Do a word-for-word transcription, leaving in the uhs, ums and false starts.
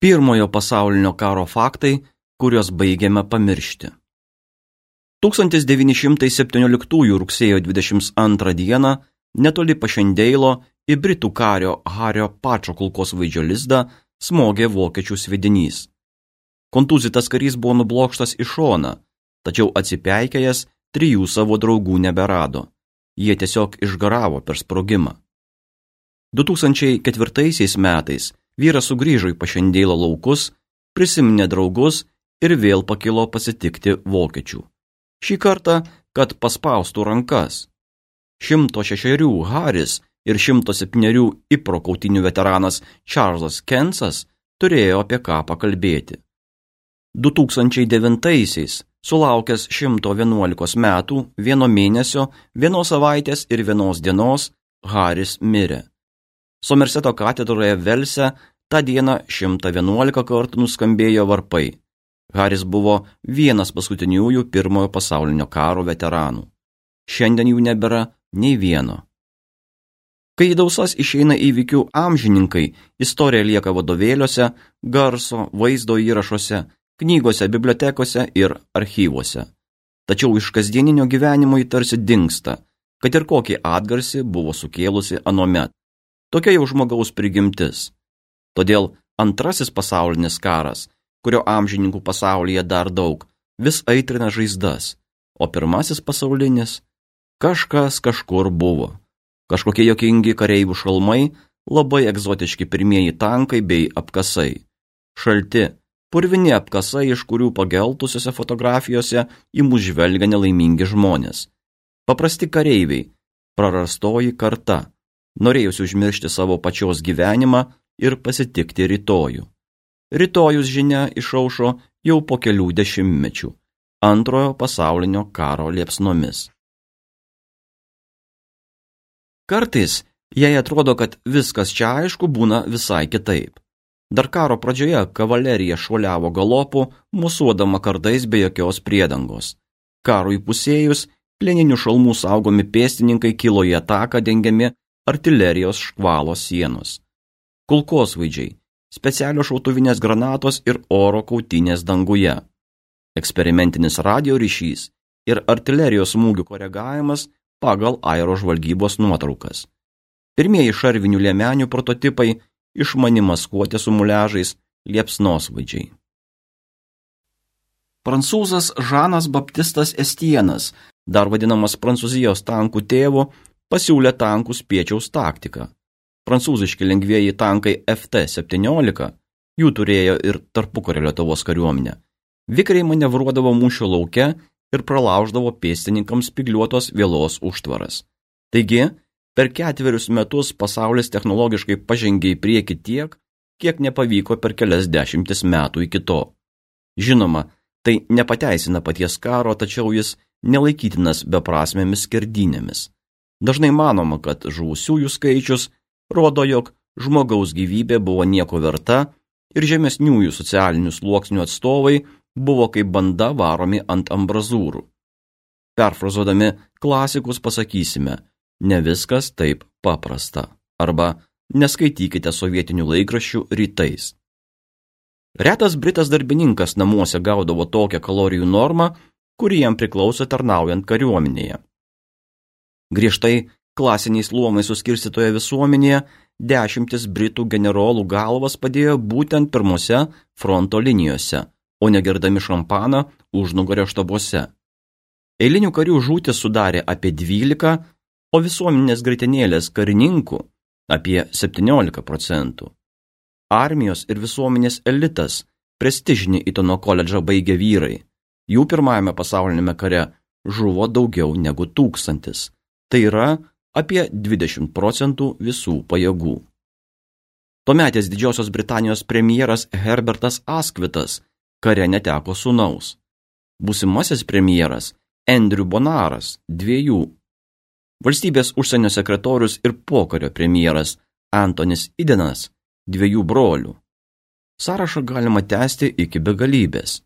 Pirmojo pasaulinio karo faktai, kuriuos baigiame pamiršti. tūkstantis devyni šimtai septynioliktųjų rugsėjo dvidešimt antrą dieną netoli Pašendeilo į britų kario Hario Pačo kulkosvaidžio lizdą smogė vokiečių sviedinys. Kontūzytas karys buvo nublokštas į šoną, tačiau atsipeikėjęs trijų savo draugų neberado. Jie tiesiog išgaravo per sprogimą. du tūkstančiai ketvirtaisiais metais vyras sugrįžo į Pašendeilo laukus, prisiminė draugus ir vėl pakilo pasitikti vokiečių. Šį kartą, kad paspaustų rankas. Šimto šešerių Haris ir šimto septynerių Ipro kautynių veteranas Čarlzas Kensas turėjo apie ką pakalbėti. du tūkstančiai devintaisiais, sulaukęs šimto vienuolikos metų, vieno mėnesio, vienos savaitės ir vienos dienos, Haris mirė. Somerseto katedroje Velse tą dieną šimtą vienuolika kartų nuskambėjo varpai. Haris buvo vienas paskutiniųjų pirmojo pasaulinio karo veteranų. Šiandien jų nebėra nei vieno. Kai į dausas išeina įvykių amžininkai, istorija lieka vadovėliuose, garso, vaizdo įrašuose, knygose, bibliotekose ir archyvuose. Tačiau iš kasdieninio gyvenimo jį tarsi dingsta, kad ir kokį atgarsį buvo sukėlusi anuomet. Tokia jau žmogaus prigimtis. Todėl antrasis pasaulinis karas, kurio amžininkų pasaulyje dar daug, vis aitrina žaizdas, o pirmasis pasaulinis kažkas kažkur buvo. Kažkokie jokingi kareivių šalmai, labai egzotiški pirmieji tankai bei apkasai. Šalti, purvini apkasai, iš kurių pageltusiose fotografijose į mus žvelgia nelaimingi žmonės. Paprasti kareiviai, prarastoji karta, norėjusi užmiršti savo pačios gyvenimą ir pasitikti rytojų. Rytojus žinia išaušo jau po kelių dešimtmečių, antrojo pasaulinio karo liepsnomis. Kartais, jei atrodo, kad viskas čia aišku, būna visai kitaip. Dar karo pradžioje kavalerija šuoliavo galopu, musuodama kardais be jokios priedangos. Karui pusėjus, plieninių šalmų saugomi pėstininkai kilo į ataką dengiami artilerijos škvalo sienos. Kulkosvaidžiai, specialios šautuvinės granatos ir oro kautynės danguje. Eksperimentinis radio ryšys ir artilerijos smūgių koregavimas pagal aerožvalgybos nuotraukas. Pirmieji šarvinių liemenių prototipai išmani maskuotė su muliažais liepsnosvaidžiai. Prancūzas Žanas Baptistas Estienas, dar vadinamas Prancūzijos tankų tėvu, pasiūlė tankų spiečiaus taktiką. Prancūziški lengvieji tankai F T septyniolika, jų turėjo ir tarpukario Lietuvos kariuomenė, vikriai manevruodavo mūšio lauke ir pralauždavo pėstininkams spygliuotos vielos užtvaras. Taigi, per ketverius metus pasaulis technologiškai pažengė į priekį tiek, kiek nepavyko per kelias dešimtis metų iki to. Žinoma, tai nepateisina paties karo, tačiau jis nelaikytinas beprasmėmis skerdynėmis. Dažnai manoma, kad žuvusiųjų skaičius rodo, jog žmogaus gyvybė buvo nieko verta ir žemesniųjų socialinių sluoksnių atstovai buvo kaip banda varomi ant ambrazūrų. Perfrazuodami klasikus pasakysime, ne viskas taip paprasta, arba neskaitykite sovietinių laikraščių rytais. Retas britas darbininkas namuose gaudavo tokią kalorijų normą, kuri jam priklauso tarnaujant kariuomenėje. Griežtai klasiniais luomais suskirstytoje visuomenėje dešimtis britų generolų galvas padėjo būtent pirmose fronto linijose, o negerdami šampaną užnugario štabuose. Eilinių karių žūtis sudarė apie dvylika, o visuomenės graitinėlės karininkų apie septyniolika procentų. Armijos ir visuomenės elitas, prestižinį Itono koledžą baigė vyrai. Jų pirmajame pasaulinėme kare žuvo daugiau negu tūkstantis. Tai yra apie dvidešimt procentų visų pajėgų. Tuometės Didžiosios Britanijos premjeras Herbertas Askvitas kare neteko sūnaus. Būsimasis premjeras Andrew Bonaras dviejų. Valstybės užsienio sekretorius ir pokario premjeras Antonis Idenas dviejų brolių. Sąrašą galima tęsti iki begalybės.